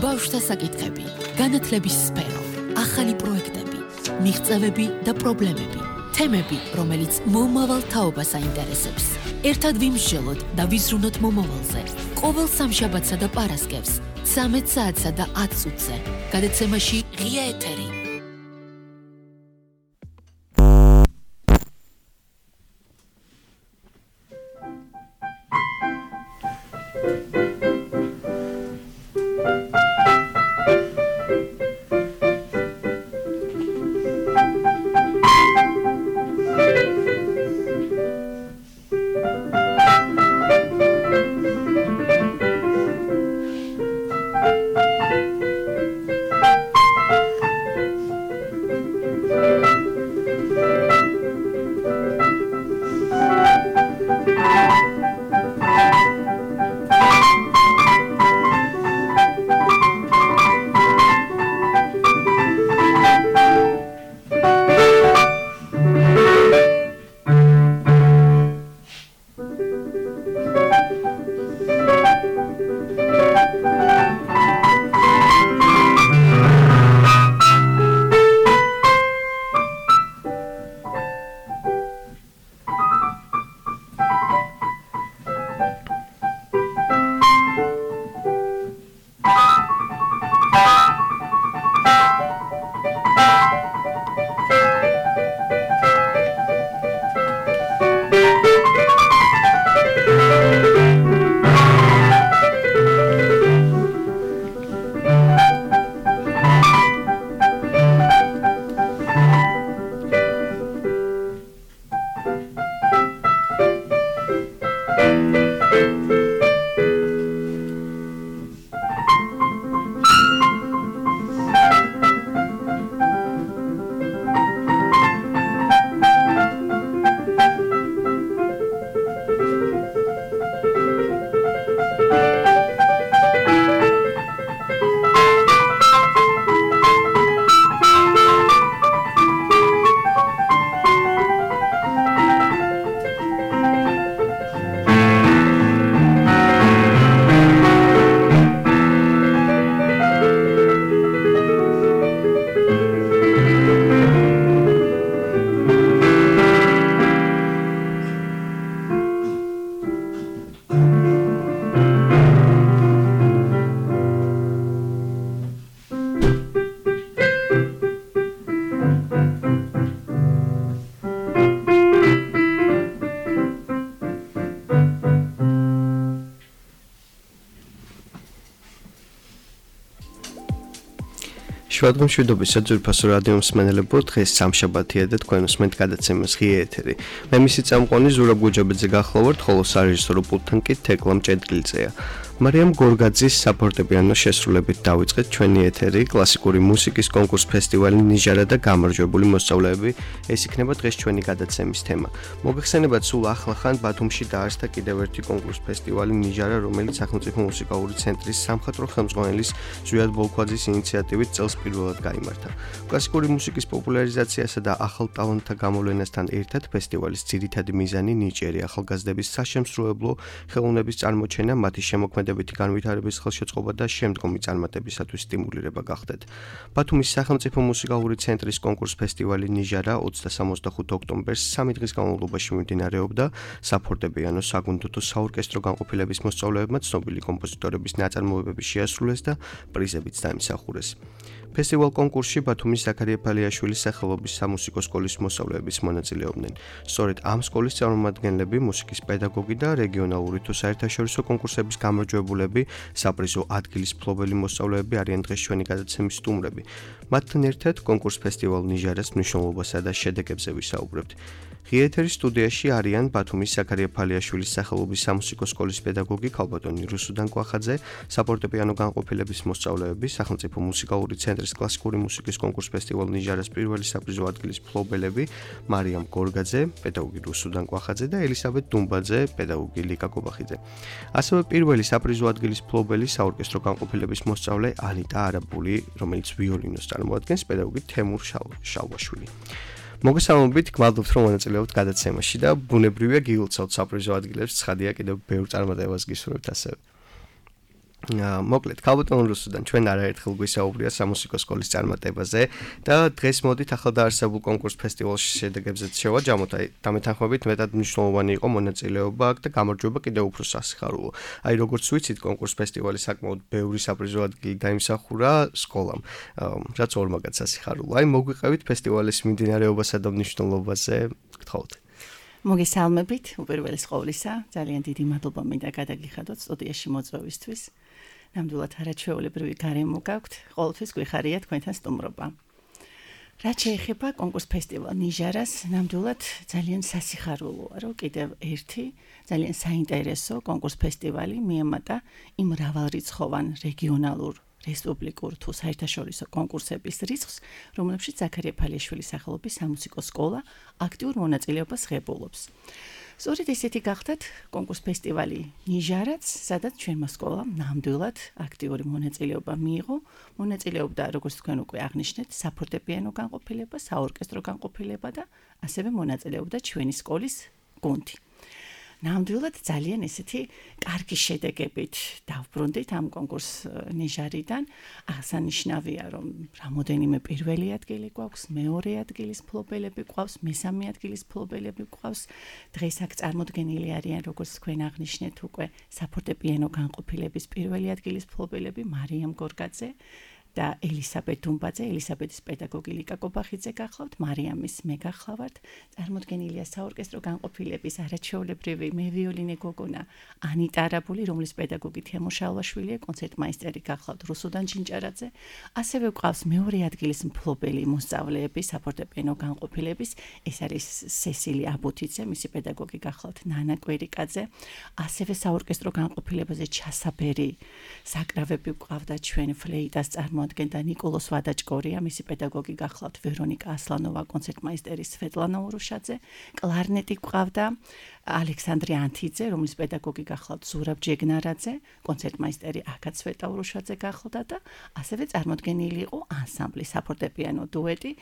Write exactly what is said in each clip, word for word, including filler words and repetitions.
ბავშვთა საკითხები, განათლების სფერო, ახალი პროექტები, მიღწევები და პრობლემები, თემები, რომელიც მომავალ თაობას აინტერესებს. ერთად ვიმსჯელოთ და ვიზრუნოთ მომავალზე. ყოველ სამშაბათსა და პარასკევს, ცამეტ საათსა და ათ წუთზე. გადაცემაში ღია ეთერი. შუადღემ მშვიდობის საძვირფასო რადიო მსმენელებო, დღეს სამშაბათია და თქვენ უსმენთ გადაცემას ღია ეთერი. მე მისი წამყვანი ზურაბ გუჯაბაძე გახლავართ, ხოლო სარეჟისორო პულტთან კი თეკლამ ჭედგილძეა. მარიამ გორგაძის საფორტეპიანო შესრულებით დავიწყეთ ჩვენი ეთერი, კლასიკური მუსიკის კონკურს ფესტივალი ნიჟარა და გამარჯვებული მოსწავლეები. ეს იქნება დღეს ჩვენი გადაცემის თემა. მოგეხსენებათ, სულ ახლახან ბათუმში დაარსდა კიდევ ერთი კონკურს ფესტივალი ნიჟარა, რომელიც სახელმწიფო მუსიკალური ცენტრის სამხატვრო ხელმძღვანელის ზვიად ბოლქვაძის ინიციატივით წელს პირველად გაიმართა. კლასიკური მუსიკის პოპულარიზაციასა და ახალ ტალანტთა გამოვლენასთან ერთად ფესტივალის ძირითადი მიზანი ნიჭიერი ახალგაზრდების საშემსრულებლო ხელოვნების წარმოჩენა, მათი შემოქმედებითი განვითარების ხელშეწყობა და შემდგომი წარმატებისათვის სტიმულირება გახდათ. ბათუმის სახელმწიფო მუსიკალური ცენტრის კონკურს ფესტივალი ნიჟარა ოცდასამოცდახუთ ოქტომბერს სამი დღის განმავლობაში მიმდინარეობდა. საფორტეპიანო, საგუნდო თუ საორკესტრო განყოფილების მოსწავლეებმა ცნობილი კომპოზიტორების ნაწარმოებები შეასრულეს და პრიზებიც დაიმსახურეს. ფესტივალ კონკურსში ბათუმის ზაქარია ფალიაშვილის სახელობის სამუსიკო სკოლის მოსწავლეებიც მონაწილეობდნენ. სწორედ ამ სკოლის წარმომადგენლები, მუსიკის პედაგოგი და რეგიონალური თუ საერთაშორისო კონკურსების გამარჯვებულები, საპრიზო ადგილის მფლობელი მოსწავლეები არიან დღეს ჩვენი გადაცემის სტუმრები. მათთან ერთად კონკურს ფესტივალ ნიჟარას მნიშვნელობასა და შედეგებზე ვისაუბრებთ. ღია ეთერის სტუდიაში არიან ბათუმის ზაქარია ფალიაშვილის სახელობის სამუსიკო სკოლის პედაგოგი ქალბატონი რუსუდან კვახაძე, საფორტეპიანო განყოფილების მოსწავლეები, სახელმწიფო მუსიკალური ცენტრის კლასიკური მუსიკის კონკურს ფესტივალ ნიჟარას პირველი საპრიზო ადგილის მფლობელები, მარიამ გორგაძე, პედაგოგი რუსუდან კვახაძე და ელისაბედ დუმბაძე, პედაგოგი ლიკა კობახიძე. ასევე პირველი საპრიზო ადგილის მფლობელი საორკესტრო განყოფილების მოსწავლე ანიტა არაბული, რომელიც ვიოლინოს წარმოადგენს, პედაგოგი თემურ შალვაშვილი. მოგესალმებით, გმადლობთ რომ მონაწილეობთ გადაცემაში და ბუნებრივია გილოცავთ საპრიზო ადგილებს, ცხადია კიდევ ბევრ წარმატებას გისურვებთ ასევე. მოკლედ, ქალბატონ რუსუდან ჩვენ არაერთხელ გვისაუბრია სამუსიკო სკოლის წარმატებაზე და დღეს მოდით ახალდაარსებულ კონკურს ფესტივალში შედეგებზეც შევაჯამოთ. აი, დამეთანხმებით მეტად მნიშვნელოვანი იყო მონაწილეობა აქ და გამარჯვება კიდევ უფრო სასიხარულო. აი, როგორც ვიცით, კონკურს ფესტივალი საკმაოდ ბევრი საპრიზო ადგილი დაიმსახურა სკოლამ, რაც ორმაგად სასიხარულო. აი, მოგვიყევით ფესტივალის მიმდინარეობასა და მნიშვნელობაზე, გთხოვთ. მოგესალმებით, უპირველეს ყოვლისა, ძალიან დიდი მადლობა მინდა გადაგიხადოთ სტუდიაში მოწვევისთვის. ნამდვილად არაჩვეულებრივი გარემო გაქვთ, ყოველთვის გვიხარია თქვენთან სტუმრობა. რაც შეეხება კონკურს ფესტივალ ნიჟარას, ნამდვილად ძალიან სასიხარულოა, რომ კიდევ ერთი ძალიან საინტერესო კონკურს ფესტივალი მიემატა იმ მრავალრიცხოვან რეგიონალურ რესპუბლიკურ თუ საერთაშორისო კონკურსების რიცხვს, რომლებშიც ზაქარია ფალიაშვილის სახელობის სამუსიკო სკოლა აქტიურ მონაწილეობას ღებულობს. სწორედ ესეთი გახდათ კონკურს ფესტივალი ნიჟარაც, სადაც ჩვენმა სკოლამ ნამდვილად აქტიური მონაწილეობა მიიღო. მონაწილეობდა, როგორც თქვენ უკვე აღნიშნეთ, საფორტეპიანო განყოფილება, საორკესტრო განყოფილება და ასევე მონაწილეობდა ჩვენი სკოლის გუნდი. ნამდვილად ძალიან ესეთი კარგი შედეგებით დავბრუნდით ამ კონკურს ნიჟარიდან. აღსანიშნავია, რომ რამოდენიმე პირველი ადგილი გვაქვს, მეორე ადგილის მფლობელები გვყავს, მესამე ადგილის მფლობელები გვყავს. დღეს აქ წარმოდგენილი არიან, როგორც თქვენ აღნიშნეთ, უკვე საფორტეპიანო განყოფილების პირველი ადგილის მფლობელები მარიამ გორგაძე და ელისაბედ დუმბაძე, ელისაბედის პედაგოგი ლიკა კობახიძე გახლავთ, მარიამის მე გახლავართ. წარმოდგენილია საორკესტრო განყოფილების არაჩვეულებრივი მევიოლინე გოგონა ანიტა არაბული, რომლის პედაგოგი თემურ შალვაშვილია, კონცერტმაისტერი გახლავთ რუსუდან ჩინჭარაძე. ასევე გვყავს მეორე ადგილის მფლობელი მოსწავლეები საფორტეპიანო განყოფილების, ეს არის სესილი აბუთიძე, მისი პედაგოგი გახლავთ ნანა კვერიკაძე. ასევე საორკესტრო განყოფილებაზე ჩასაბერი საკრავები გვყავდა ჩვენ ფლეიტას წარმო ადგენდა ნიკოლოს ვადაჭკორია, მისი პედაგოგი გახლავთ ვერონიკა ასლანოვა, კონცერტმაისტერი სვეტლანა ურუშაძე, კლარნეტი გვყავდა ალექსანდრე ანთიძე, რომლის პედაგოგი გახლავთ ზურაბ ჯეგნარაძე, კონცერტმაისტერი აკაც სვეტა ურუშაძე გახლავდა და ასევე წარმოდგენილი იყო ანსამბლი საფორტეპიანო დუეტი,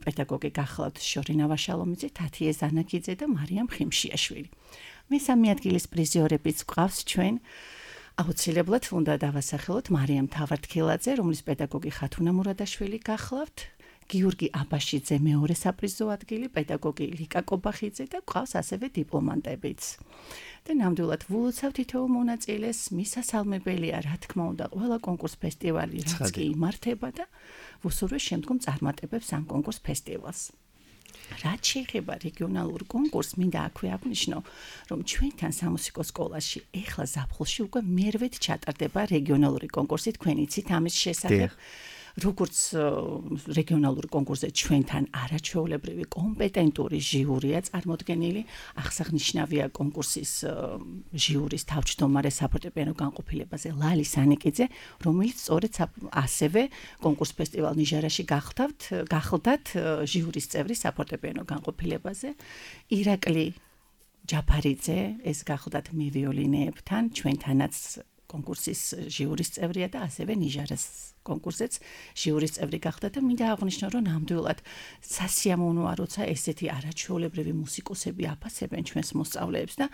პედაგოგი გახლავთ შორინა ვაშალომიძე, თათიე ზანაკიძე და მარიამ ხიმშიაშვილი. მესამე ადგილის პრიზიორებიც გვყავს ჩვენ. აუცილებლად უნდა დავასახელოთ მარიამ თავარდქილაძე, რომლის პედაგოგი ხათუნა მურადაშვილი გახლავთ, გიორგი აბაშიძე მეორე საპრიზო ადგილი, პედაგოგი ლიკა კობახიძე და გვყავს ასევე დიპლომანტებიც. და ნამდვილად ვულოცავ თითოეულ მონაწილეს, მისასალმებელია, რა თქმა უნდა, ყველა კონკურს ფესტივალი რაც კი იმართება და ვუსურვე შემდგომ წარმატებებს ამ კონკურს ფესტივალს. რაც შეეხება რეგიონალურ კონკურსს, მინდა აქვე აღნიშნო, რომ ჩვენთან სამუსიკო სკოლაში ეხლა ზაფხულში უკვე მერვედ ჩატარდება რეგიონალური კონკურსი, თქვენ იცით ამის შესახებ. როგორც რეგიონალური კონკურსზე ჩვენთან არაჩვეულებრივი კომპეტენტური ჟიურია წარმოდგენილი, აღსანიშნავია კონკურსის ჟიურის თავმჯდომარე საფორტეპიანო განყოფილებაზე ლალი სანიკიძე, რომელიც სწორედ ასევე კონკურს ფესტივალ ნიჟარაში გახლდათ, გახლდათ ჟიურის წევრი საფორტეპიანო განყოფილებაზე. ირაკლი ჯაფარიძე, ეს გახლდათ მევიოლინეებთან, ჩვენთანაც კონკურსის ჟიურის წევრია და ასევე ნიჟარას კონკურსზეც ჟიურის წევრი გახდა და მინდა აღვნიშნო, რომ ნამდვილად სასიამოვნოა, როცა ესეთი არაჩვეულებრივი მუსიკოსები აფასებენ ჩვენს მოსწავლეებს და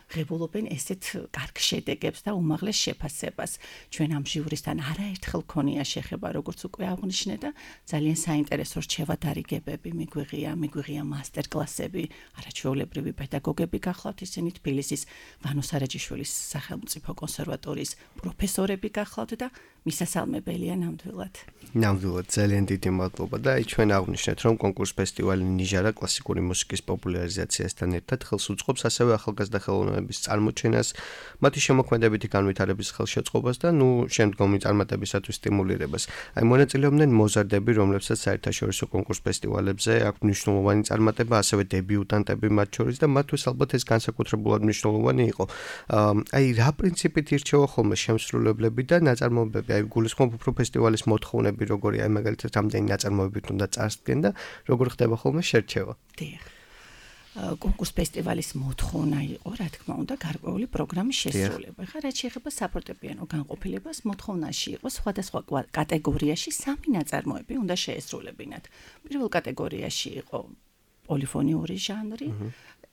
ღებულობენ ესეთ კარგ შედეგებს და უმაღლეს შეფასებას. ჩვენ ამ ჟიურისთან არაერთხელ ქონია შეხება, როგორც უკვე აღვნიშნე და ძალიან საინტერესო რჩევა დარიგებები მიგვიღია, მიგვიღია მასტერკლასები, არაჩვეულებრივი პედაგოგები გახლავთ, ისინი თბილისის ვანო სარაჯიშვილის სახელმწიფო კონსერვატორიის პროფესორები გახლავთ და მისასალმებელია ნამდვილად. ნამდვილად ძალიან დიდი მადლობა და აი ჩვენ აღვნიშნეთ, რომ კონკურს ფესტივალი ნიჟარა კლასიკური მუსიკის პოპულარიზაციასთან ერთად ხელს უწყობს ასევე ახალგაზრდა ხელოვნების წარმოჩენას, მათი შემოქმედებითი განვითარების ხელშეწყობას და ნუ შემდგომი წარმატებისათვის სტიმულირებას. აი მონაწილეობდნენ მოზარდები, რომლებსაც საერთაშორისო კონკურს ფესტივალებზე აქვს მნიშვნელოვანი წარმატება, ასევე დებიუტანტები მათ შორის და მათთვის ალბათ ეს განსაკუთრებულად მნიშვნელოვანი იყო. აი რა პრინციპით ირჩევა ხოლმე შემსრულებლები და ნაწარმოებები, აი გულისხმობ უფრო ფესტივალის მოთხოვნები, როგორი აი მაგალითად რამდენი ნაწარმოებით უნდა წარსდგენ და როგორ ხდება ხოლმე შერჩევა. დიახ. კონკურს ფესტივალის მოთხოვნა იყო, რა თქმა უნდა, გარკვეული პროგრამის შესრულება. ხა რაც შეეხება საფორტეპიანო განყოფილებას, მოთხოვნაში იყო სხვადასხვა კატეგორიაში სამი ნაწარმოები უნდა შეესრულებინათ. პირველ კატეგორიაში იყო პოლიფონიური ჟანრი,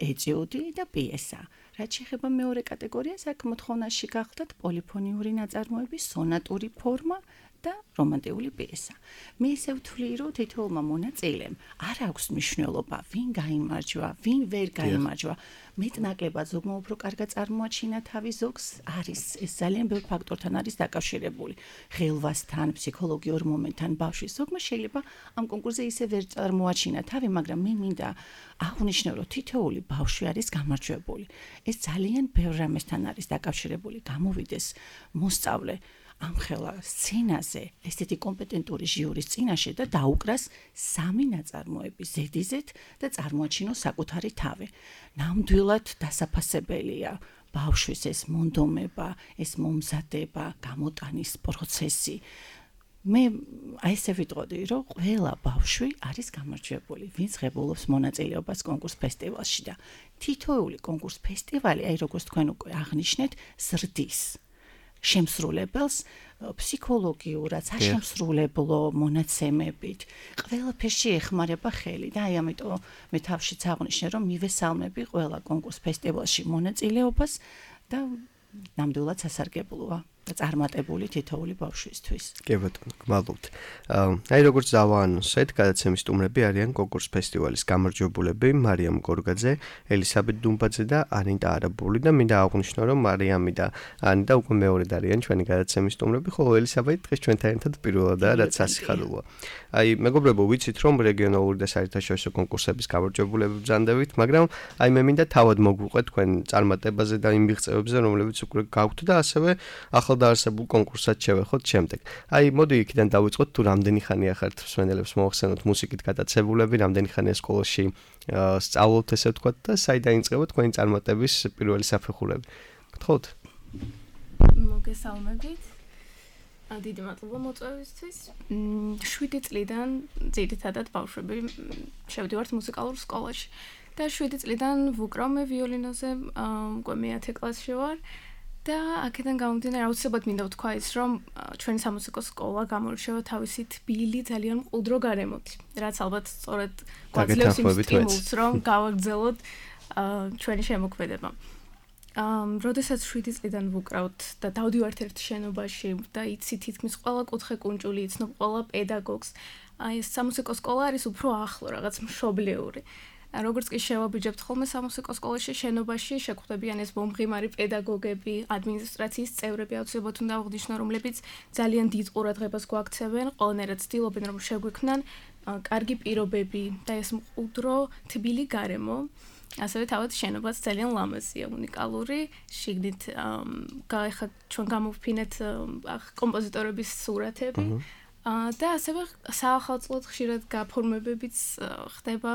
ეტიუდი და პიესა. რაც შეეხება მეორე კატეგორიას, აქ მოთხოვნაში გახდათ პოლიფონიური ნაწარმოები, სონატური ფორმა და რომანტიკული პიესა. მე ესე ვთვლი, რომ თითოეულმა მონაწილემ არ აქვს მნიშვნელობა, ვინ გაიმარჯვა, ვინ ვერ გაიმარჯვა. მეტნაკლებად ზოგმა უფრო კარგად წარმოაჩინა თავი, ზოგს არის ეს ძალიან ბევრ ფაქტორთან არის დაკავშირებული. ხელვასთან, ფსიქოლოგიურ მომენტთან, ბავშვის ზოგმა შეიძლება ამ კონკურსზე ისე ვერ წარმოაჩინა თავი, მაგრამ მე მინდა აღნიშნო, რომ თითოეული ბავშვი არის გამარჯვებული. ეს ძალიან ბევრ რამესთან არის დაკავშირებული. გამოვიდეს მოსწავლე ამ ხელა სცენაზე ესეთი კომპეტენტური ჟიურის წინაშე და დაუკრას სამი ნაწარმოები ზედიზეთ და წარმოაჩინოს საკუთარი თავი. ნამდვილად დასაფასებელია ბავშვის ეს მონდომება, ეს მომზადება, გამოტანის პროცესი. მე აი ესე ვიტყოდი, რომ ყველა ბავშვი არის გამარჯვებული, ვინც ღებულობს მონაწილეობას კონკურს ფესტივალში და თითოეული კონკურს ფესტივალი, აი როგორც თქვენ უკვე აღნიშნეთ, ზრდის შემსრულებელს ფსიქოლოგიურად, საშემსრულებლო მონაცემებით, ყველაფერში ეხმარება ხელი და აი ამიტომ მე თავშიც აღნიშნე, რომ მივესალმები ყველა კონკურს ფესტივალში მონაწილეობას და ნამდვილად სასარგებლოა და წარმატებული თითოეული ბავშვისთვის. კი ბატონო, გმადლობთ. აი როგორც დავაანონსეთ, გადაცემის სტუმრები არიან კონკურს ფესტივალის გამარჯვებულები მარიამ გორგაძე, ელისაბედ დუმბაძე და ანიტა არაბული და მინდა აღვნიშნო, რომ მარიამი და ანიტა უკვე მეორედ არიან ჩვენი გადაცემის სტუმრები, ხოლო ელისაბედ დღეს ჩვენთან ერთად პირველადაა, რაც სასიხარულოა. აი მეგობრებო, ვიცით რომ რეგიონალური და საერთაშორისო კონკურსების გამარჯვებულები ბრძანდებით, მაგრამ აი მე მინდა თავად მოგვიყვეთ თქვენ წარმატებაზე და იმ მიღწევებზე, რომლებიც უკვე გაქვთ და ასევე ახალდაარსებულ კონკურსად შევეხოთ შემდეგ. აი მოდი იქიდან დავიწყოთ, თუ რამდენი ხანია ხართ მსმენელებს მოახსენოთ მუსიკით გატაცებულები, რამდენი ხანია სკოლაში სწავლობთ ესე ვთქვათ და საიდან იწყება თქვენი წარმატების პირველი საფეხურები. გთხოვთ? მოგესალმებით. დიდი მადლობა მოწვევისთვის. შვიდი წლიდან ძირითადად ბავშვები შევდივართ მუსიკალურ სკოლაში და შვიდი წლიდან ვუკრავ მე ვიოლინოზე, უკვე მეათე კლასში ვარ. და აქედან გამომდინარე, აუცილებლად მინდა ვთქვა ის, რომ ჩვენი სამუსიკო სკოლა გამორჩევა თავისი თბილი, ძალიან მყუდრო გარემოთი, რაც ალბათ სწორედ გვაძლევს იმ სტიმულს, რომ გავაგრძელოთ ჩვენი შემოქმედება. როდესაც შვიდი წლიდან ვუკრავთ და დავდივართ ერთ შენობაში და იცი თითქმის ყველა კუთხე კუნჭული, იცნობ ყველა პედაგოგს, აი ეს სამუსიკო სკოლა არის უფრო ახლო, რაღაც მშობლიური. როგორც კი შევაბიჯებთ ხოლმე სამუსიკო სკოლაში, შენობაში შეგვხვდებიან ეს მომღიმარი პედაგოგები, ადმინისტრაციის წევრები, აუცილებლად უნდა აღნიშნო, რომლებიც ძალიან დიდ ყურადღებას გვაქცევენ, ყველანაირად ცდილობენ, რომ შეგვიქმნან კარგი პირობები და ეს მყუდრო, თბილი გარემო. ასევე თავად შენობაც ძალიან ლამაზია, უნიკალური. შიგნით ხა ჩვენ გამოვფინეთ კომპოზიტორების სურათები. და ასევე საახალწლოდ ხშირად გაფორმებებიც ხდება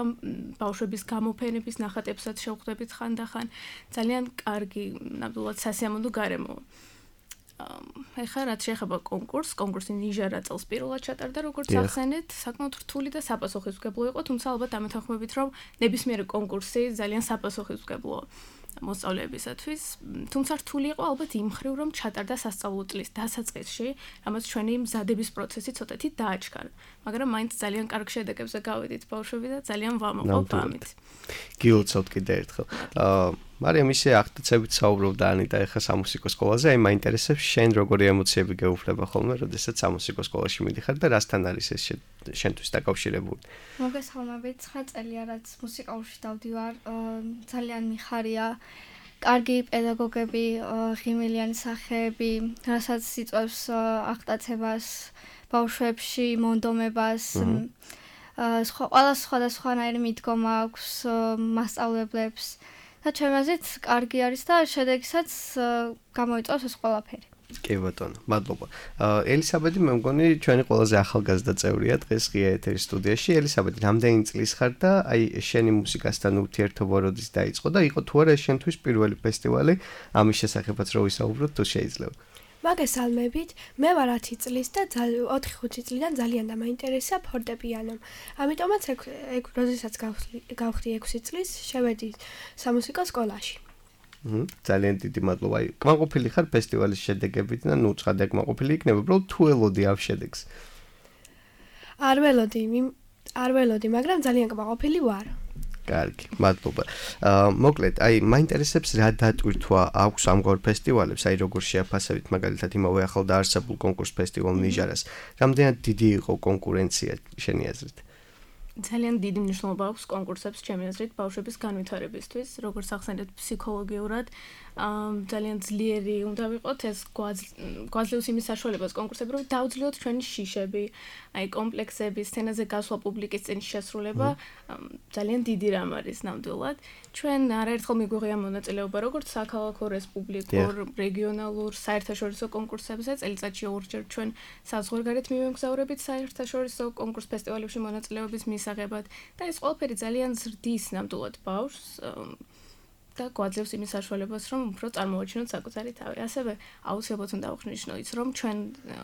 ბავშვების გამოფენების ნახატებსაც შევხვდებით ხანდახან. ძალიან კარგი, ნამდვილად სასიამოვნო გარემო. ეხლა რაც შეეხება კონკურსს, კონკურსი ნიჟარა წელს პირველად ჩატარდა, როგორც ახსენეთ, საკმაოდ რთული და საპასუხისმგებლო იყო, თუმცა ალბათ ამეთანხმებით, რომ ნებისმიერი კონკურსი ძალიან საპასუხისმგებლოა მოსწავლეებისათვის, თუმცა რთული იყო ალბათ იმ მხრივ, რომ ჩატარდა სასწავლო წლის დასაწყისში, რამაც ჩვენი მზადების პროცესი ცოტათი დააჩქარა, მაგრამ მაინც ძალიან კარგ შედეგებზე გავედით ბავშვები და ძალიან ვამოყობ ამით. გილოცავთ კიდე ერთხელ. მარიამ ისე აღტაცებით საუბრობდა ანიტა ეხა სამუსიკო სკოლაზე, აი მაინტერესებს შენ როგორი ემოციები გეუფლება ხოლმე, როდესაც სამუსიკო სკოლაში მიდიხარ და რასთან არის ეს შენთვის დაკავშირებული? მოგესალმებით, ცხრა წელია რაც მუსიკალურში დავდივარ, ძალიან მიხარია, კარგი პედაგოგები, ღიმილიანი სახეები, რასაც იწვევს აღტაცებას ბავშვებში, მონდომებას, სხვა ყველა სხვადასხვანაირი მიდგომა აქვს მასწავლებლებს. და ჩემაზეც კარგი არის და შედეგსაც გამოიწვევს ეს ყველაფერი. კი ბატონო, მადლობა. ელისაბედი მე მგონი ჩვენი ყველაზე ახალგაზრდა წევრია დღეს ღია ეთერის სტუდიაში. ელისაბედი, რამდენი წლის ხარ და აი შენი მუსიკასთან ურთიერთობა როდის დაიწყო და იყო თუ არა შენთვის პირველი ფესტივალი, ამის შესახებაც რო ვისაუბროთ, თუ შეიძლება. მოგესალმებით, მე ვარ ათი წლის და ოთხი ხუთი წლიდან ძალიან დამაინტერესა ფორტეპიანო. ამიტომაც როდესაც გავხდი ექვსი წლის, შევედი სამუსიკო სკოლაში. ძალიან დიდი მადლობა. აი, კმაყოფილი ხარ ფესტივალის შედეგებით და ნუ ცხადია კმაყოფილი იქნება, უბრალოდ თუ ელოდი ამ შედეგს. არ ველოდი, არ ველოდი, მაგრამ ძალიან კმაყოფილი ვარ. კარგი, მადლობა. აა მოკლედ, აი, მაინტერესებს რა დატვირთვა აქვს ამგვარ ფესტივალებს, აი როგორ შეაფასებით მაგალითად იმავე ახალდაარსებულ კონკურს ფესტივალ ნიჟარას. რამდენად დიდი იყო კონკურენცია შენი აზრით? ძალიან დიდი მნიშვნელობა აქვს კონკურსებს ჩემი აზრით ბავშვების განვითარებისთვის, როგორც ახსენეთ ფსიქოლოგიურად, ძალიან ძლიერი უნდა ვიყოთ ეს გვაძლევს იმის საშუალებას კონკურსები, რომ დავძლიოთ ჩვენი შიშები, აი კომპლექსები, სცენაზე გასვლა, პუბლიკის წინ შესრულება, ძალიან დიდი რამ არის ნამდვილად. ჩვენ არაერთხელ მიგვიღია მონაწილეობა როგორც საქალაქო, რესპუბლიკურ, რეგიონალურ, საერთაშორისო კონკურსებზე, წელიწადში ორჯერ ჩვენ საზღვარგარეთ მივემგზავრებით საერთაშორისო კონკურს ფესტივალებში მონაწილეობის მისაღებად და ეს ყველაფერი ძალიან ზრდის ნამდვილად ბავშვს და გვაძლევს იმის საშუალებას, რომ უფრო წარმოვაჩინოთ საკუთარი თავი. ასევე აუცილებლად უნდა აღნიშნო ის, რომ ჩვენ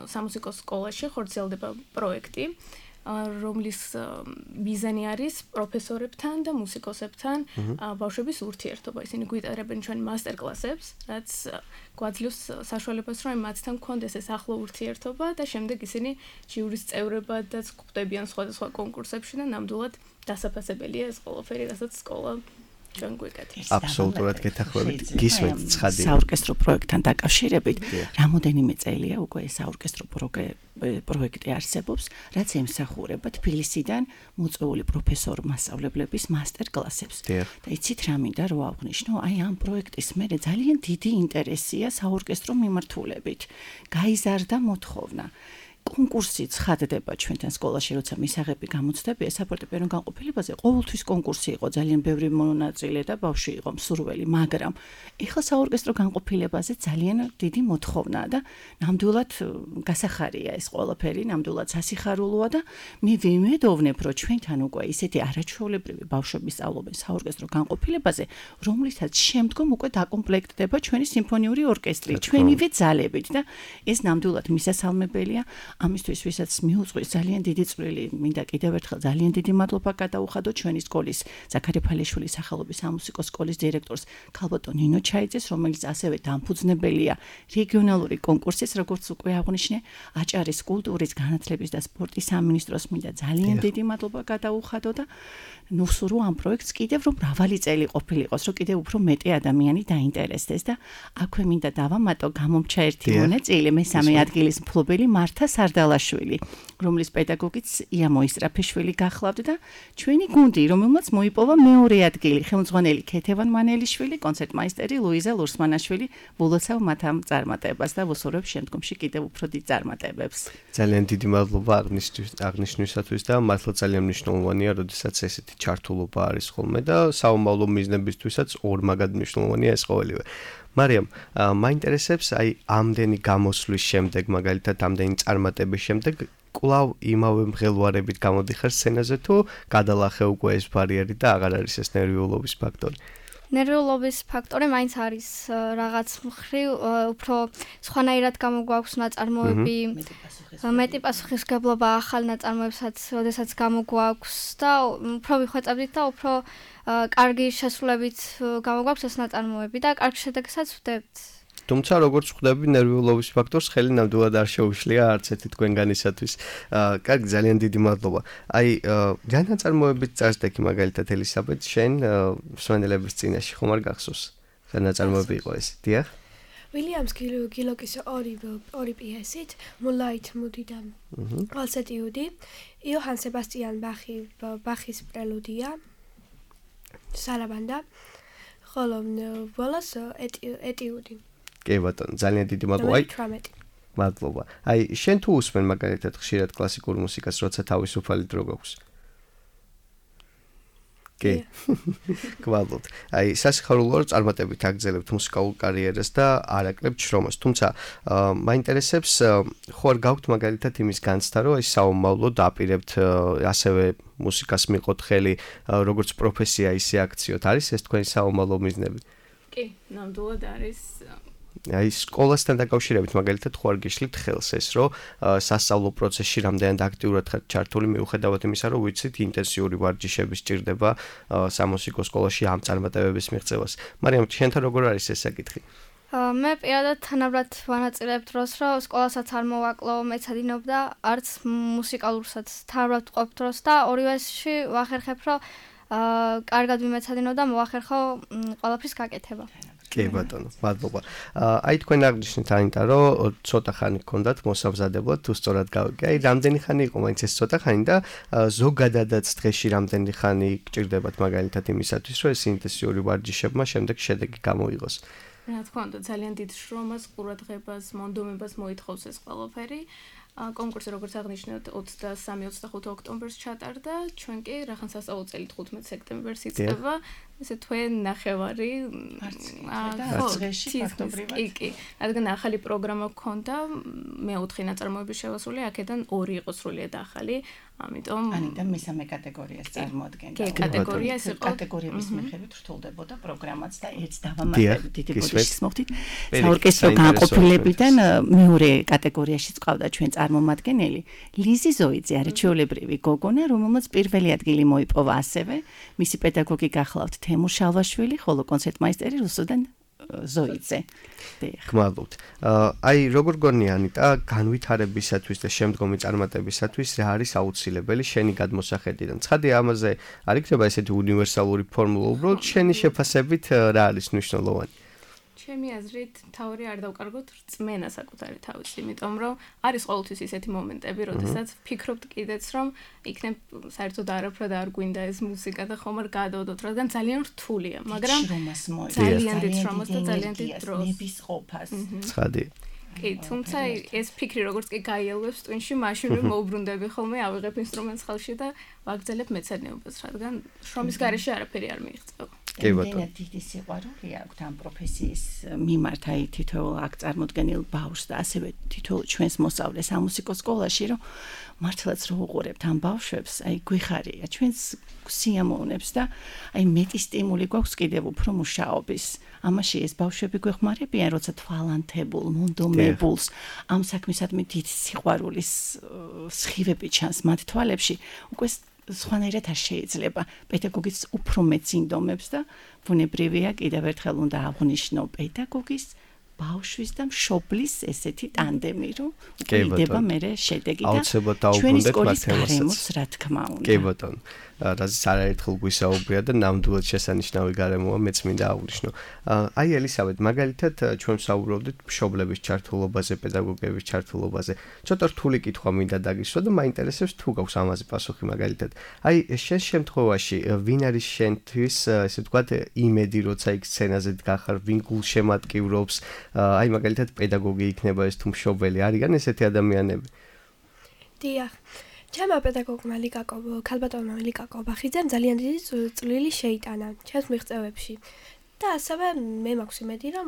სამუსიკო სკოლაში ხორციელდება პროექტი, რომლის მიზანი არის პროფესორებთან და მუსიკოსებთან ბავშვების ურთიერთობა. ისინი გვიტარებენ ჩვენ მასტერკლასებს, რაც გვაძლევს საშუალებას, რომ მათთან გქონდეს ეს ახლო ურთიერთობა და შემდეგ ისინი ჟიურის წევრებადაც გვხვდებიან სხვადასხვა კონკურსებში და ნამდვილად დასაფასებელია ეს ყველაფერი, რასაც სკოლა ჩვენ გვეკეთებს. აბსოლუტურად გეთანხმებით. გისმენთ ცხადია. საორკესტრო პროექტთან დაკავშირებით, რამოდენიმე წელია უკვე ეს საორკესტრო პროექტი არსებობს, რაც ემსახურება თბილისიდან მოწვეული პროფესორ მასწავლებლების მასტერკლასებს. და იცით რა მინდა რომ აღვნიშნო, აი ამ პროექტის მერე ძალიან დიდი ინტერესია საორკესტრო მიმართულებით. გაიზარდა მოთხოვნა. კონკურსი ცხადდება ჩვენთან სკოლაში, როცა მისაღები გამოცდებია საფორტეპიანო განყოფილებაზე, ყოველთვის კონკურსი იყო, ძალიან ბევრი მონაწილე და ბავშვი იყო მსურველი, მაგრამ ეხლა საორკესტრო განყოფილებაზე ძალიან დიდი მოთხოვნაა და ნამდვილად გასახარია ეს ყველაფერი, ნამდვილად სასიხარულოა და მე ვიმედოვნებ, რომ ჩვენთან უკვე ისეთი არაჩვეულებრივი ბავშვები სწავლობენ საორკესტრო განყოფილებაზე, რომლითაც შემდგომ უკვე დაკომპლექტდება ჩვენი სიმფონიური ორკესტრი, ჩვენივე ძალებით და ეს ნამდვილად მისასალმებელია. ამისთვის ვისაც მიუძღვის ძალიან დიდი წვლილი, მინდა კიდევ ერთხელ ძალიან დიდი მადლობა გადაუხადო ჩვენი სკოლის ზაქარი ფალეშვილის სახელობის სამუსიკო სკოლის დირექტორს ქალბატონ ნინო ჩაიძეს, რომელიც ასევე დამფუძნებელია რეგიონალური კონკურსის, როგორც უკვე აღვნიშნე, აჭარის კულტურის, განათლების და სპორტის სამინისტროს მინდა ძალიან დიდი მადლობა გადაუხადო და ნუსურო ამ პროექტს კიდევ რომ მრავალი წელი ყოფილიყოს, რომ კიდევ უფრო მეტი ადამიანი დაინტერესდეს და აქვე მინდა დავამატო გამომჩა ერთი მონაწილე, მესამე ადგილის მფლობელი მართა სარდალაშვილი, რომლის პედაგოგიც ია მოისტრაფეშვილი გახლავთ და ჩვენი გუნდი, რომელმაც მოიპოვა მეორე ადგილი, ხელმძღვანელი ქეთევან მანელიშვილი, კონცერტმაისტერი ლუიზა ლურსმანაშვილი, ვულოცავ მათ ამ წარმატებას და ვუსურვებ შემდგომში კიდევ უფრო დიდ წარმატებებს. ძალიან დიდი მადლობა აღნიშნვისათვის და მართლა ძალიან მნიშვნელოვანია, როდესაც ესეთი ჩართულობა არის ხოლმე და საომავლო მიზნებისთვისაც ორმაგად მნიშვნელოვანია ეს ყოველივე. მარიამ, მაინტერესებს აი ამდენი გამოსვლის შემდეგ, მაგალითად ამდენი წარმატების შემდეგ, კვლავ იმავე მღელვარებით გამოდიხარ სცენაზე თუ გადალახე უკვე ეს ბარიერი და აღარ არის ეს ნერვიულობის ფაქტორი? ნერვიულობის ფაქტორი მაინც არის რაღაც მხრივ უფრო სხვანაირად გამოგვაქვს ნაწარმოები, მეტი პასუხისმგებლობა ახალ ნაწარმოებსაც, როდესაც გამოგვაქვს და უფრო ვიხვეწებდით და უფრო კარგი შესრულებით გამოგვაქვს ეს ნაწარმოები და კარგ შედეგსაც ვხვდებთ. თუმცა როგორც ხვდები ნერვიულობის ფაქტორს ხელი ნამდვილად არ შეუშლია არც ერთი თქვენგანისათვის. კარგი, ძალიან დიდი მადლობა. აი, რა ნაწარმოებით წარსდექი მაგალითად ელისაბედ შენ მსმენელების წინაშე ხომ არ გახსოვს? რა ნაწარმოები იყო ეს? დიახ. ვილიამს გილოკის ორი ორი პიესით, მულაით მუდი და ვალსეტიუდი, იოჰან სებასტიან ბახი ბახის პრელუდია, სარაბანდა, ხოლო ბოლოს ეტიუდი. კი ბატონო, ძალიან დიდი მადლობა. მადლობა. აი, შენ თუ უსმენ მაგალითად ხშირად კლასიკურ მუსიკას, როცა თავისუფალი დრო გაქვს? კი. გვალოთ. აი, სასიხარულოა რომ წარმატებით აგრძელებთ მუსიკალურ კარიერას და არ აკლებთ შრომას. თუმცა, მაინტერესებს, ხო არ გაქვთ მაგალითად იმის განცდა, რომ ეს საომავლო დაპირებთ ასევე მუსიკას მიყოთ ხელი, როგორც პროფესია, ისე აქციოთ. არის ეს თქვენი საომავლო მიზნები? კი, ნამდვილად არის. აი სკოლასთან დაკავშირებით მაგალითად ხო არ გიშლით ხელს ეს რომ სასწავლო პროცესში რამდენად აქტიურად ხართ ჩართული მიუხედავად იმისა რომ ვიცით ინტენსიური ვარჯიშები სჭირდება სამუსიკო სკოლაში ამ წარმატებების მიღწევას. მარიამ, შენთან როგორ არის ეს საკითხი? მე პირადად თანაბრად ვანაწილებ დროს, რომ სკოლასაც არ მოვაკლო, მეცადინობ და არც მუსიკალურსაც თანაბრად ვყოფ დროს და ორივეში ვახერხებ, რომ აა კარგად ვიმეცადინო და მოახერხო ყველაფრის გაკეთება. კი ბატონო, მადლობა. აი თქვენ აღნიშნეთ აინტა, რომ ცოტა ხანი გქონდათ მოსამზადებლად, თუ სწორად გავიგე. აი რამდენი ხანი იყო მაინც ეს ცოტა ხანი და ზოგადადაც დღეში რამდენი ხანი გჭირდებათ მაგალითად იმისათვის, რომ ეს ინტენსიური ვარჯიშებმა შემდეგ შედეგი გამოიღოს. რა თქმა უნდა, ძალიან დიდ შრომას, ყურადღებას, მონდომებას მოითხოვს ეს ყველაფერი. კონკურსი როგორც აღნიშნეთ ოცდასამი ოცდახუთი ოქტომბერს ჩატარდა, ჩვენ კი რახან სასწავლო წელი თხუთმეტი სექტემბერს იწყება. ესე თვე ნახევარი დღეში ფაქტობრივად. კი, კი. რადგან ახალი პროგრამა გქონდა, მეოთხე ნაწარმოების შევასული, აქედან ორი იყო სრულიად ახალი. ამიტომ ანიდან მესამე კატეგორიას წარმოადგენდა. კი, კატეგორია ეს იყო კატეგორიების მიხედვით რთულდებოდა პროგრამაც და ერთ დავამატებით დიდი ბოდიშის მოხდით. საორკესტრო განყოფილებიდან მეორე კატეგორიაში წავდა ჩვენ წარმომადგენელი ლიზი ზოიძე, არაჩვეულებრივი გოგონა, რომელმაც პირველი ადგილი მოიპოვა ასევე. მისი პედაგოგი გახლავთ თემურ შალვაშვილი, ხოლო კონცერტმაისტერი რუსუდან ზოიძე. გმადლობთ. აი როგორ გონია ანიტა განვითარებისათვის და შემდგომი წარმატებისათვის რა არის აუცილებელი შენი გადმოსახედიდან? ცხადია ამაზე არ იქნება ესეთი უნივერსალური ფორმულა, უბრალოდ შენი შეფასებით რა არის მნიშვნელოვანი? ჩემი აზრით, თავი არ დავკარგოთ რწმენა საკუთარი თავის, იმიტომ რომ არის ყოველთვის ისეთი მომენტები, როდესაც ფიქრობთ კიდეც, რომ იქნებ საერთოდ არაფრად არ გვინდა ეს მუსიკა და ხომ არ გადავდოთ, რადგან ძალიან რთულია, მაგრამ ძალიან დიდ შრომას და ძალიან დიდ დროს. ნების ყოფას. ცხადია. კი, თუმცა ეს ფიქრი როგორც კი გაიელვებს ტვინში, მაშინვე მოუბრუნდები ხოლმე, ავიღებ ინსტრუმენტს ხელში და ვაგრძელებ მეცადინეობას, რადგან შრომის გარეშე არაფერი არ მიიღწევა. კი ბატონო. დიდი სიყვარული აქვს ამ პროფესიის მიმართ, აი თითოეულ აქ წარმოდგენილ ბავშვს და ასევე თითოეულ ჩვენს მოსწავლეს ამუსიკო სკოლაში, რომ მართლაც რო უყურებთ ამ ბავშვებს, აი გვიხარია ჩვენს სიამოვნებს და აი მეტი სტიმული გვაქვს კიდევ უფრო მუშაობის. ამაში ეს ბავშვები გვეხმარებიან, როცა თვალანთებულ, მონდომებულს ამ საქმისადმი დიდ სიყვარულის სხივები ჩანს მათ თვალებში, უკვე სხვანაირად არ შეიძლება. პედაგოგიც უფრო მეც ინდომებს და ბუნებრივია კიდევ ერთხელ უნდა აღვნიშნო პედაგოგის ბავშვის და მშობლის ესეთი ტანდემი, რომ იდება მერე შედეგი და ჩვენი სკოლის გარემოს, რა თქმა უნდა. კი ბატონო. რაზეც არაერთხელ გვისაუბრია და ნამდვილად შესანიშნავი გარემოა, მეც მინდა აღვნიშნო. აი ელისაბედ, მაგალითად ჩვენ ვსაუბრობდით მშობლების ჩართულობაზე, პედაგოგების ჩართულობაზე. ცოტა რთული კითხვა მინდა დაგისვა და მაინტერესებს თუ გაქვს ამაზე პასუხი მაგალითად. აი შენ შემთხვევაში ვინ არის შენთვის, ესე ვთქვათ, იმედი, როცა იქ სცენაზე დგახარ, ვინ გულშემატკივრობს, აი მაგალითად პედაგოგი იქნება ეს თუ მშობელი, არიან ესეთი ადამიანები? დიახ. ჩემო პედაგოგმა ლიკაკო, ქალბატონმა ლიკაკო ბახიძემ ძალიან დიდი წვლილი შეიტანა ჩემს მიღწევებში. და ასევე მე მაქვს იმედი, რომ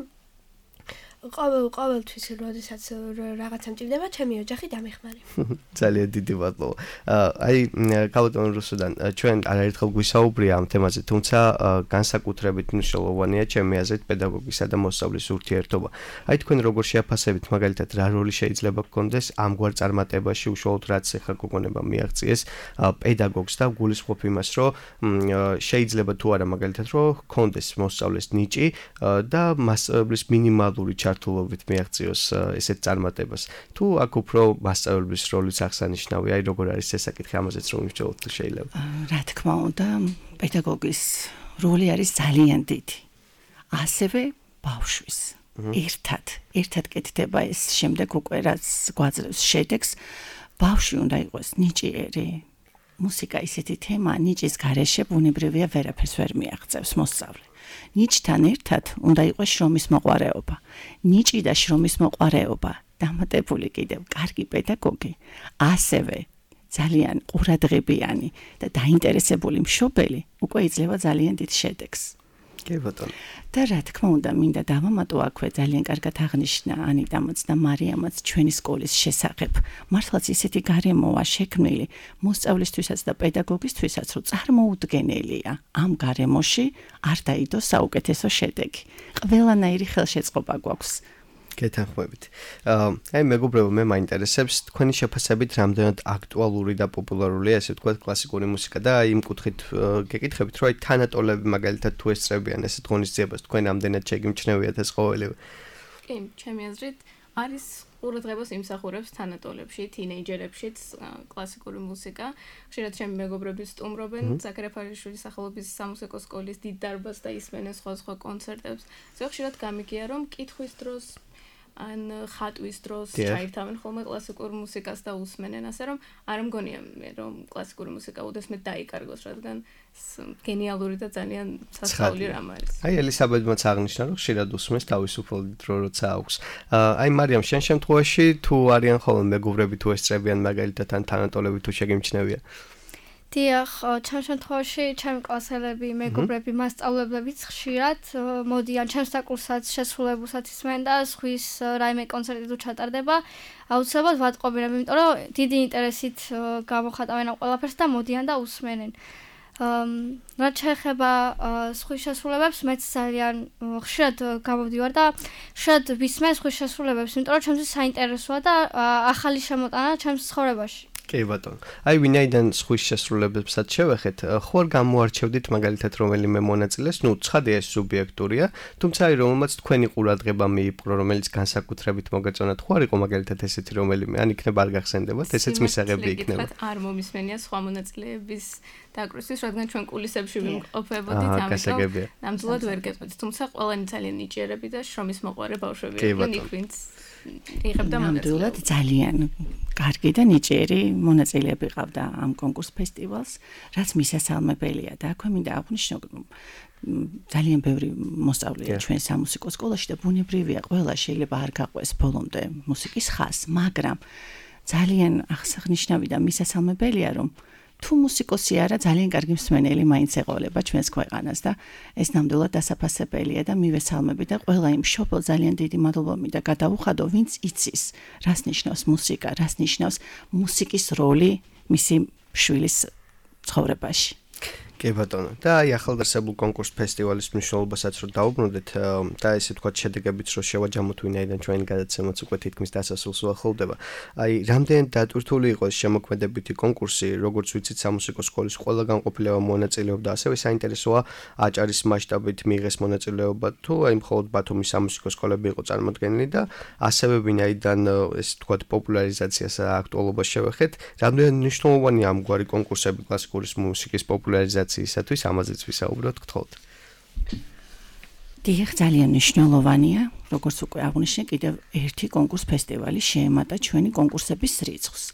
ყოველ ყოველთვის როდესაც რაღაცა მჭირდება, ჩემი ოჯახი დამეხმარება. ძალიან დიდი მადლობა. აი ქალბატონ რუსუდან, ჩვენ არაერთხელ გვისაუბრია ამ თემაზე, თუმცა განსაკუთრებით მნიშვნელოვანია ჩემი აზრით პედაგოგისა და მოსწავლის ურთიერთობა. აი თქვენ როგორ შეაფასებით მაგალითად რა როლი შეიძლება გქონდეს ამგვარ წარმატებაში, უშუალოდ რაც ახლა გოგონებამ მიაღწიეს პედაგოგს და გულისხმობ იმას, რომ შეიძლება თუ არა მაგალითად რომ გქონდეს მოსწავლის ნიჭი და მასწავლებლის მინიმალური ჩართულობით მიაღწიოს ესეთ წარმატებას. თუ აქ უფრო მასწავლებლის როლიც აღსანიშნავია, აი როგორ არის ეს საკითხი, ამაზეც რომ ვიმსჯელოთ თუ შეიძლება. რა თქმა უნდა, პედაგოგის როლი არის ძალიან დიდი. ასევე ბავშვის. ერთად, ერთად კეთდება ეს შემდეგ უკვე რაც გვაძლევს შედეგს, ბავშვი უნდა იყოს ნიჭიერი. მუსიკა ისეთი თემაა, ნიჭის გარეშე ბუნებრივია ვერაფერს ვერ მიაღწევს მოსწავლე. ნიჭთან ერთად უნდა იყოს შრომის მოყვარეობა. ნიჭი და შრომის მოყვარეობა, დამატებული კიდევ კარგი პედაგოგი, ასევე ძალიან ყურადღებიანი და დაინტერესებული მშობელი უკვე იძლევა ძალიან დიდ შედეგს. კი ბატონო. და რა თქმა უნდა, მინდა დავამატო აქვე ძალიან კარგად აღნიშნა ანიტამაც და მარიამაც ჩვენი სკოლის შესახებ. მართლაც ისეთი გარემოა შექმნილი მოსწავლისთვისაც და პედაგოგისთვისაც, რომ წარმოუდგენელია ამ გარემოში არ დაიდოს საუკეთესო შედეგი. ყველანაირი ხელშეწყობა გვაქვს. გეთანხმებით. აი მეგობრებო, მე მაინტერესებს თქვენი შეფასებით რამდენად აქტუალური და პოპულარულია, ესე ვთქვათ, კლასიკური მუსიკა და იმ კუთხით გეკითხებით, რომ აი თანატოლები მაგალითად თუ ესწრებიან ესეთ ღონისძიებას, თქვენ ამდენად შეგიმჩნევიათ ეს ყოველივე? კი, ჩემი აზრით არის ყურადღებას იმსახურებს თანატოლებში, თინეიჯერებშიც კლასიკური მუსიკა. ხშირად ჩემი მეგობრები სტუმრობენ ზაქარიაშვილის სახელობის სამუსიკო სკოლის დიდ დარბაზს და ისმენენ სხვა-სხვა კონცერტებს. ზოგ ხშირად გამიგია რომ კითხვის დროს ან ხატვის დროს ჩაირთავენ ხოლმე კლასიკურ მუსიკას და უსმენენ, ასე რომ არ მგონია მე რომ კლასიკური მუსიკა უდესმე დაიკარგოს, რადგან გენიალური და ძალიან სასწაული რამ არის. აი ელისაბედმაც აღნიშნა რომ ხშირად უსმენს თავისუფლად დრო როცა აქვს. აი მარიამ, შენ შემთხვევაში თუ არიან ხოლმე მეგობრები თუ ესწრებიან მაგალითად ან თანატოლები თუ შეგიმჩნევია? დიახ, ჩემ შემთხვევაში ჩემი კლასელები, მეგობრები, მასწავლებლებიც ხშირად მოდიან ჩემს საკურსაც, შესრულებულსაც ისმენ და სხვის რაიმე კონცერტი თუ ჩატარდება, აუცილებლად ვატყობინებ, იმიტომ რომ დიდი ინტერესით გამოხატავენ ამ ყველაფერს და მოდიან და უსმენენ. რაც შეეხება სხვის შესრულებებს, მეც ძალიან ხშირად გამოვდივარ და ხშირად ვისმენ სხვის შესრულებებს, იმიტომ რომ ჩემთვის საინტერესოა და ახალი შემოტანა ჩემს ცხოვრებაში. კი ბატონო. აი ვინაიდან სხვის შესრულებებსაც შევეხეთ, ხო არ გამოარჩევდით მაგალითად რომელიმე მონაწილეს, ნუ ცხადია ეს სუბიექტურია, თუმცა აი რომელმაც თქვენი ყურადღება მიიპყრო, რომელიც განსაკუთრებით მოგეწონათ, ხო არ იყო მაგალითად ესეთი რომელიმე, ან იქნება არ გახსენდებათ, ესეც მისაღები იქნება. არ მომისმენია სხვა მონაწილეების დაკვრისთვის, რადგან ჩვენ კულისებში ვიმყოფებოდით, ამიტომ ნამდვილად ვერ გეტყვით, თუმცა ყველანი ძალიან ნიჭიერები და შრომის მოყვარე ბავშვები იყვნენ, იქ ვინც იღებდა მონაწილეობას. ძალიან კარგი და ნიჭიერი მონაწილეები ყავდა ამ კონკურს ფესტივალს, რაც მისასალმებელია და აქვე მინდა აღვნიშნო, ძალიან ბევრი მოსწავლეა ჩვენ სამუსიკო სკოლაში და ბუნებრივია, ყველა შეიძლება არ გაყვეს ბოლომდე მუსიკის ხაზს, მაგრამ ძალიან აღსანიშნავი და მისასალმებელია, რომ თუ მუსიკოსი არა, ძალიან კარგი მსმენელი მაინც ეყოლება ჩვენს ქვეყანას და ეს ნამდვილად დასაფასებელია და მივესალმები და ყველა იმ მშობელ ძალიან დიდი მადლობა მინდა გადავუხადო, ვინც იცის, რას ნიშნავს მუსიკა, რას ნიშნავს მუსიკის როლი მისი შვილის ცხოვრებაში. კი ბატონო. და აი ახალგაზრდულ კონკურს ფესტივალის მნიშვნელობასაც რო დაუბრუნდეთ და ესე ვთქვათ შედეგებიც რო შევაჯამოთ, ვინაიდან ჩვენი გადაცემაც უკვე თითქმის დასასრულს უახლოვდება. აი რამდენად დატვირთული იყო ეს შემოქმედებითი კონკურსი, როგორც ვიცით, სამუსიკო სკოლის ყველა განყოფილება მონაწილეობდა, ასევე საინტერესოა აჭარის მასშტაბით მიიღეს მონაწილეობა, თუ აი მხოლოდ ბათუმის სამუსიკო სკოლები იყო წარმოდგენილი და ასევე ვინაიდან ეს ვთქვათ პოპულარიზაციას აქტუალობას შევეხეთ, რამდენად მნიშვნელოვანია ამგვარი კონკურსები კლასიკური მუსიკის პოპულარიზაციაში ისათვის ამაზეც ვისაუბროთ, გთხოვთ. დიახ, ძალიან მნიშვნელოვანია, როგორც უკვე აღვნიშნე, კიდევ ერთი კონკურს ფესტივალი შეემატა ჩვენი კონკურსების რიცხვს.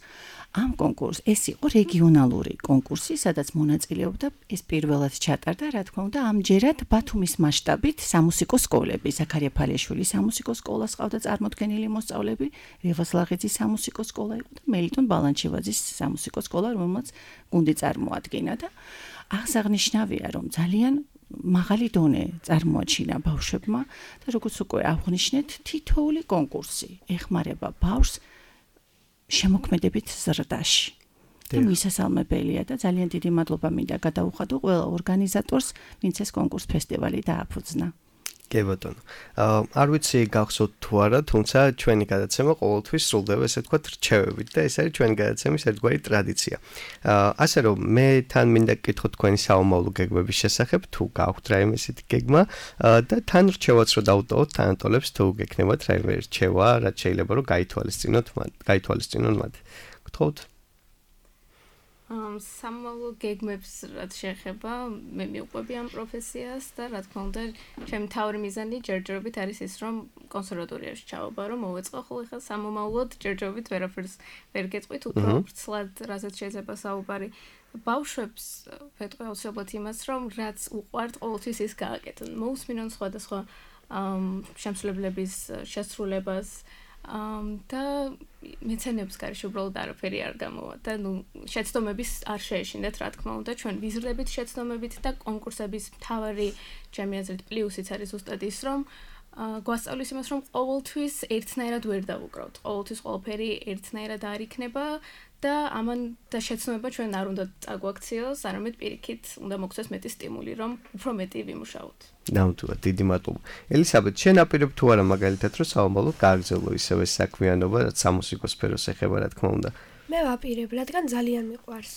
ამ კონკურს ეს იყო რეგიონალური კონკურსი, სადაც მონაწილეობდა ეს პირველად ჩატარდა, რა თქმა უნდა, ამჯერად ბათუმის მასშტაბით სამუსიკო სკოლები, ზაქარია ფალიაშვილის სამუსიკო სკოლას ყავდა წარმოდგენილი მოსწავლეები, რევაზლაღიძის სამუსიკო სკოლა იყო და მელიტონ ბალანჩივაძის სამუსიკო სკოლა, რომელმაც გუნდი წარმოადგენდა და აღსანიშნავია, რომ ძალიან მაღალი დონე წარმოაჩინა ბავშვებმა და როგორც უკვე აღვნიშნეთ, თითოეული კონკურსი ეხმარება ბავშვს შემოქმედებით ზრდაში. და მისასალმებელია და ძალიან დიდი მადლობა მინდა გადავუხადო ყველა ორგანიზატორს, ვინც ეს კონკურს ფესტივალი დააფუძნა. კი ბატონო. არ ვიცი გახსოვთ თუ არა, თუმცა ჩვენი გადაცემა ყოველთვის სრულდება ესე ვთქვათ რჩევებით და ეს არის ჩვენი გადაცემის ერთგვარი ტრადიცია. ასე რომ მე თან მინდა გკითხოთ თქვენი საომავლო გეგმების შესახებ, თუ გაქვთ რაიმე ესეთი გეგმა და თან რჩევაც რო დავუტოვოთ თანატოლებს, თუ გექნებათ რაიმე რჩევა, რაც შეიძლება რომ გაითვალისწინოთ, გაითვალისწინონ მათ. გთხოვთ? სამომავლო გეგმებს რაც შეეხება, მე მიყვები ამ პროფესიას და რა თქმა უნდა, ჩემი თავი მიზანი ჯერჯერობით არის ის, რომ კონსერვატორიაში ჩავაბარო, რომ მოვეწყო, ხოლო ხა სამომავლოდ ჯერჯერობით ვერაფერს ვერ გეტყვით, უფრო ვრცლად რაზეც შეიძლება საუბარი. ბავშვებს ვეტყვი აუცილებლად იმას, რომ რაც უყვართ, ყოველთვის ის გააკეთონ. მოусმინონ სხვადასხვა შემსრულებლების შესრულებას და მეცნიერებს გარშე უბრალოდ არაფერი არ გამოვა და ნუ შეცდომების არ შეეშინდეთ, რა თქმა უნდა, ჩვენ ვიზრდებით შეცდომებით და კონკურსების მთავარი ჩემი აზრით პლუსიც არის ზუსტად ის, რომ გვასწავლის იმას, რომ ყოველთვის ერთნაირად ვერ დავუკრავთ. ყოველთვის ყველაფერი ერთნაირად არ იქნება და ამან და შეცდომება ჩვენ არ უნდა წაგვაქციოს, არამედ პირიქით უნდა მოგცეს მეტი სტიმული, რომ უფრო მეტი ვიმუშაოთ. ნამდვილად, დიდი მადლობა. ელისაბედ, შენ აპირებ თუ არა მაგალითად, რომ საომავლოდ გააგრძელო ისევე საქმიანობა, რაც სამუსიკო სფეროს ეხება, რა თქმა უნდა. მე ვაპირებ, რადგან ძალიან მიყვარს.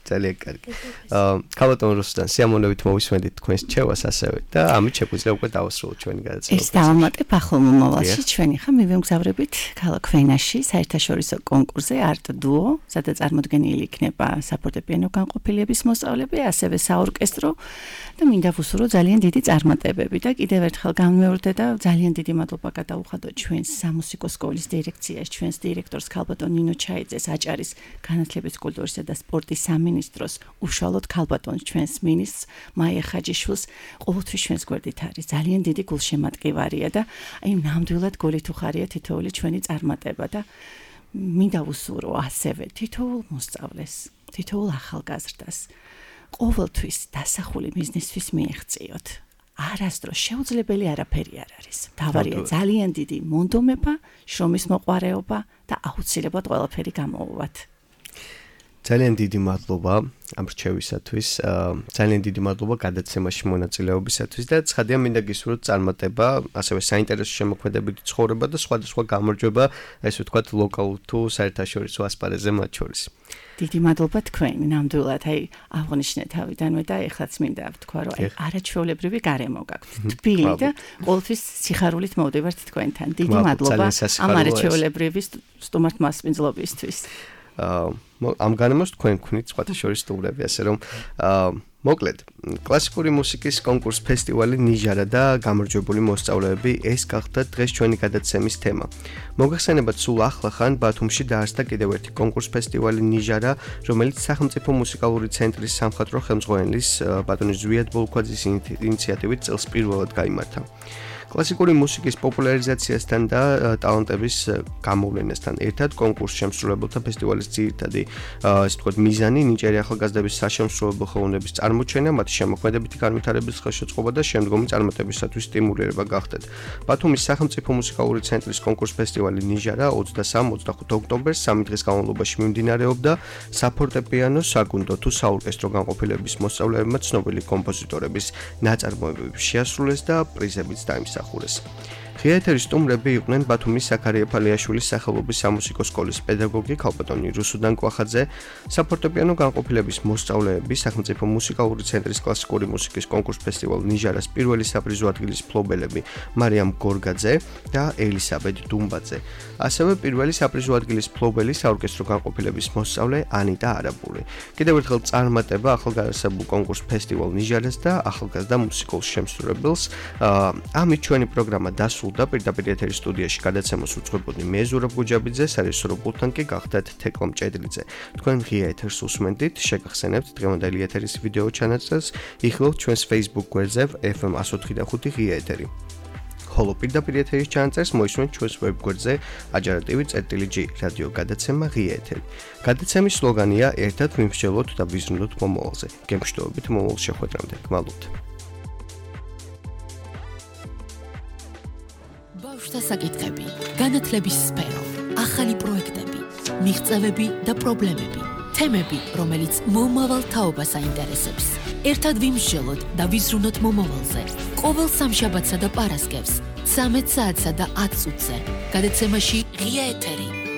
ძალიან კარგი. აა ქალბატონ რუსტან, სიამოვნებით მოვისმენთ თქვენს რჩევას ასევე და ამით შეგვიძლია უკვე დავასრულოთ ჩვენი გადაცემა. ეს დავამატებ ახალ მომავალში ჩვენი ხა მივემგზავრებით ქალაქ ვენაში საერთაშორისო კონკურსზე Art Duo, სადაც წარმოდგენილი იქნება საფორტეპიანო განყოფილების მოსწავლეები, ასევე საორკესტრო და მინდა ვუსურო ძალიან დიდი წარმატებები და კიდევ ერთხელ განმეორდე და ძალიან დიდი მადლობა გადაუხადოთ ჩვენს სამუსიკო სკოლის დირექციას, ჩვენს დირექტორს ქალბატონ ნინო ჩაიძეს, აჭარის განათლების, კულტურისა და სპორტის სამინისტროს, უშუალოდ ქალბატონს ჩვენს მინისტრს მაია ხაჯიშვილს ყოველთვის ჩვენს გვერდით არის. ძალიან დიდი გულშემატკივარია და აი ნამდვილად გულით უხარია თითოეული ჩვენი წარმატება და მინდა ვუსურო ასევე თითოეულ მოსწავლეს, თითოეულ ახალგაზრდას ყოველთვის დასახული მიზნისთვის მიეღწიოთ. არასდროს შეუძლებელი არაფერი არ არის. თავარია ძალიან დიდი მონდომება, შრომის მოყვარეობა და აუცილებლად ყველაფერი გამოვუვათ. ძალიან დიდი მადლობა ამ რჩევისათვის, ძალიან დიდი მადლობა გადაცემაში მონაწილეობისათვის და ცხადია მინდა გისურვოთ წარმატება, ასევე საინტერესო შემოქმედებითი ცხოვრება და სხვადასხვა გამარჯვება, ესე ვთქვათ, ლოკალურ თუ საერთაშორისო ასპარეზზე მათ შორის. დიდი მადლობა თქვენ, ნამდვილად, აი აღნიშნე თავიდანვე და ეხლაც მინდა ვთქვა, რომ აი არაჩვეულებრივი გარემო გაქვთ. თბილი და ყოველთვის სიხარულით მოვდივართ თქვენთან. დიდი მადლობა ამ არაჩვეულებრივი სტუმართ მასპინძლობისთვის. ამ განმოს თქვენ გქონით სხვათა შორის სტუმრები, ასე რომ მოკლედ კლასიკური მუსიკის კონკურს ფესტივალი ნიჟარა და გამარჯვებული მოსწავლეები ეს გახდა დღეს ჩვენი გადაცემის თემა. მოგახსენებათ, სულ ახლახან ბათუმში დაარსდა კიდევ ერთი კონკურს ფესტივალი ნიჟარა, რომელიც სახელმწიფო მუსიკალური ცენტრის სამხატვრო ხელმძღვანელის ბატონი ზვიად ბოლქვაძის ინიციატივით წელს პირველად გაიმართა. კლასიკური მუსიკის პოპულარიზაციასთან და ტალანტების გამოვლენასთან ერთად კონკურს შემსრულებელთა ფესტივალის ძირითადი ასე ვთქვათ მიზანი ნიჭიერი ახალგაზრდების საშემსრულებლო ხელოვნების წარმოჩენა, მათი შემოქმედებითი განვითარების ხელშეწყობა და შემდგომი წარმატებისათვის სტიმულირება გახდათ. ბათუმის სახელმწიფო მუსიკალური ცენტრის კონკურს ფესტივალი ნიჟარა ოცდასამ ოცდახუთ ოქტომბერს სამი დღის განმავლობაში მიმდინარეობდა საფორტეპიანო, საგუნდო თუ საორკესტრო განყოფილების მოსწავლეებმა ცნობილი კომპოზიტორების ნაწარმოებები შეასრულეს და პრიზებიც დაიმსახურეს. ღია ეთერის სტუმრები იყვნენ ბათუმის ზაქარია ფალიაშვილის სახელობის სამუსიკო სკოლის პედაგოგი ქალბატონი რუსუდან კვახაძე, საფორტეპიანო განყოფილების მოსწავლეები, სახელმწიფო მუსიკალური ცენტრის კლასიკური მუსიკის კონკურს ფესტივალ ნიჟარას პირველი საპრიზო ადგილის მფლობელები მარიამ გორგაძე და ელისაბედ დუმბაძე. ასევე პირველი საპრიზო ადგილის მფლობელი საორკესტრო განყოფილების მოსწავლე ანიტა არაბული. კიდევ ერთხელ წარმატება ახალგაზრდებულ კონკურს ფესტივალ ნიჟარას და ახალგაზრდა მუსიკულ შემსრულებელს. ამით ჩვენი პროგრამა დასრულდა. და პირდაპირ ეთერის სტუდიაში გადაცემას უძღვებოდი მე ზურაბ გუჯაბიძე, სარეჟისორო პულტთან კი გახდათ თეკლა მჭედლიძე. თქვენ ღია ეთერს უსმენთ, შეგახსენებთ დღევანდელი ეთერის ვიდეო ჩანაწერს, იხილავთ ჩვენს Facebook გვერდზე ეფ ემ εκατო ოთხი და ხუთი ღია ეთერი. ხოლო პირდაპირ ეთერის ჩანაწერს მოისმენთ ჩვენს ვებ გვერდზე ajarativi.gr რადიო გადაცემა ღია ეთერი. გადაცემის სლოგანია ერთად ვიმსჯელოთ და ვიზრუნოთ მომავალზე. გემშვიდობით მომავალ შეხვედრამდე. გმალობთ. ბავშვთა საკითხები, განათლების სფერო, ახალი პროექტები, მიღწევები და პრობლემები, თემები, რომელიც მომავალ თაობას აინტერესებს. ერთად ვიმსჯელოთ და ვიზრუნოთ მომავალზე. ყოველ სამშაბათსა და პარასკევს, ცამეტ საათსა და ათ წუთზე. გადაცემაში ღია ეთერი.